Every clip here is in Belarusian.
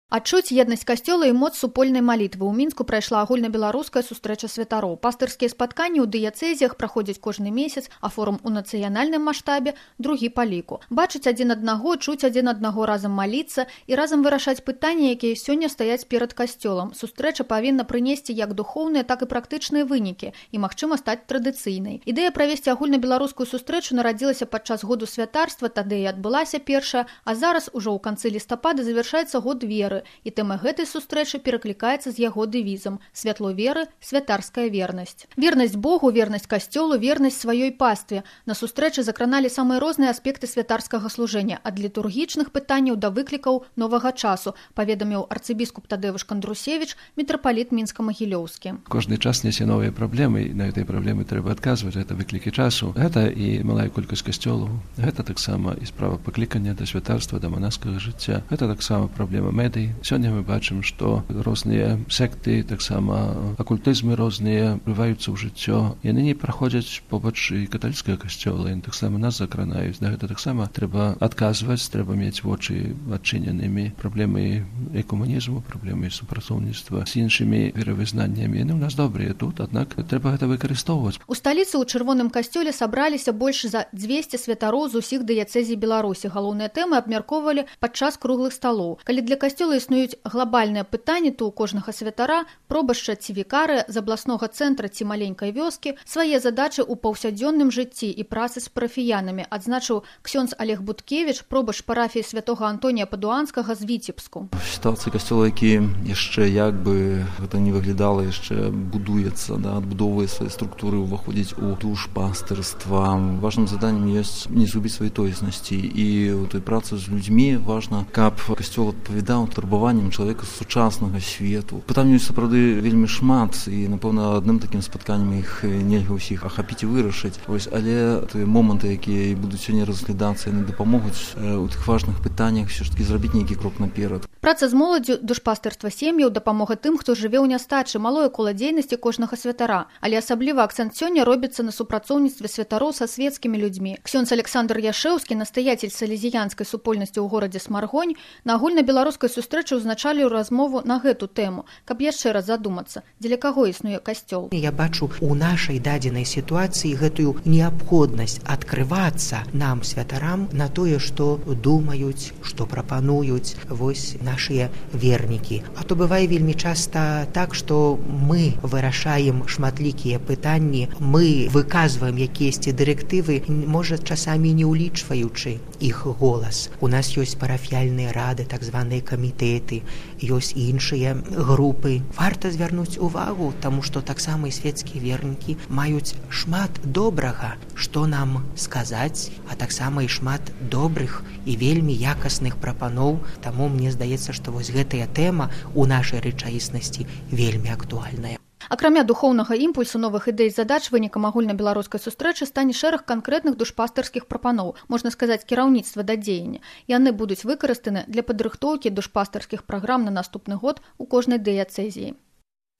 Адчуць еднасць касцёла і моц супольнай малітвы. У Мінску прайшла агульнабеларуская сустрэча святароў. Пастырскія спатканні ў дыяцэзіях праходзяць кожны месяц, а форум у нацыянальным маштабе другі па ліку. Бачыць адзін аднаго, чуць адзін аднаго, разам маліцца і разам вырашаць пытанні, якія сёння стаяць перад касцёлам. Сустрэча павінна прынесці як духоўныя, так і практычныя вынікі і, магчыма, стаць традыцыйнай. Ідэя правесці агульнабеларускую сустрэчу нарадзілася падчас году святарства, тады і адбылася першая, а зараз ужо ў канцы лістапада завяршаецца год веры. І тэма гэтай сустрэчы пераклікаецца з яго дэвізам «Святло веры, святарская вернасць». Вернасць Богу, вернасць касцёлу, вернасць сваёй пастве. На сустрэчы закраналі самыя розныя аспекты святарскага служэння, ад літургічных пытанняў да выклікаў новага часу, паведаміў арцыбіскуп Тадеуш Кандрусевіч, мітрапаліт Мінска-Магілёўскі. Кожны час нясе новыя праблемы, і на гэтай праблемы трэба адказваць. Гэта выклікі часу. Гэта і малая колькасць касцёлаў. Гэта таксама і справа паклікання да святарства, да манаскага жыцця. Гэта таксама праблема медый. Сёння мы бачым, што розныя секты, таксама акультызмы розныя вплываюцца ў жыццё. Яны не праходзяць побач і каталіцкага касцёла, яны таксама нас закранаюць. На гэта таксама трэба адказваць, трэба мець вочы адчыненымі. Праблемы экуманізму, праблемы супрацоўніцтва з іншымі веравызнаннямі. Яны ў нас добрыя тут, аднак трэба гэта выкарыстоўваць. У сталіцы ў чырвоным касцёле сабраліся больш за 200 святароў з усіх дыяцэзій Беларусі. Галоўныя тэмы абмяркоўвалі падчас круглых сталоў. Калі для касцёла існуюць глобальныя пытанні, то у кожнага святара, пробашча ці вікарыя з абласнога цэнтра ці маленькай вёскі свае задачы ў паўсядзённым жыцці і працы з парафіянамі, адзначыў ксёндз Олег Буткевіч, пробашч парафіі святога Антонія Падуанскага з Віцебску. Сітуацыя касцёла, які яшчэ як бы гэта не выглядала, яшчэ будуецца, адбудоўвае свае структуры, уваходзіць у душпастырства. Важным заданнем ёсць не згубіць сваёй тоеснасці, і ў той працы з людзьмі важна, каб касцёл адпавядаў турбаваннем чалавека з сучаснага свету. Пытанняў сапраўды вельмі шмат, і, напэўна, адным такім спатканнем іх нельга ўсіх ахапіць і вырашыць. Але тыя моманты, якія будуць сёння разглядацца, яны дапамогуць у тых важных пытаннях все ж таки зрабіць нейкі крок наперад. Праца з моладдзю, душпастырства сем'яў, дапамога тым, хто жыве ў нястачы, малое кола дзейнасці кожнага святара. Але асабліва акцэнт сёння робіцца на супрацоўніцтве святароў са светскімі людзьмі. Ксёндз Александр Яшэўскі, настаятель салезіянскай супольнасці ў горадзе Смаргонь, на агульнабеларускай сустрэчы ўзначаліў размову на гэту тэму, каб яшчэ раз задумацца, дзеля каго існуе касцёл. Я бачу у нашай дадзенай сітуацыі гэтую неабходнасць адкрывацца нам, святарам, на тое, што думаюць, што прапануюць вось нашыя вернікі. А то бывае вельмі часта так, што мы вырашаем шматлікія пытанні, мы выказваем якіясьці дырэктывы, можа, часамі не ўлічваючы іх голас. У нас ёсць парафіяльныя рады, так званыя камітэты, ёсць іншыя групы. Варта звярнуць увагу, таму што таксама і свецкія вернікі маюць шмат добрага, што нам сказаць, а таксама і шмат добрых і вельмі якасных прапаноў. Таму мне здаецца, што вось гэтая тэма ў нашай рэчаіснасці вельмі актуальная. Акрамя духоўнага імпульсу, новых ідэй, задач, вынікам агульнабеларускай сустрэчы стане шэраг канкрэтных душпастырскіх прапаноў, можна сказаць, кіраўніцтва да дзеяння. Яны будуць выкарыстаны для падрыхтоўкі душпастырскіх праграм на наступны год у кожнай дыяцэзіі.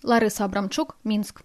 Ларыса Абрамчук, Мінск.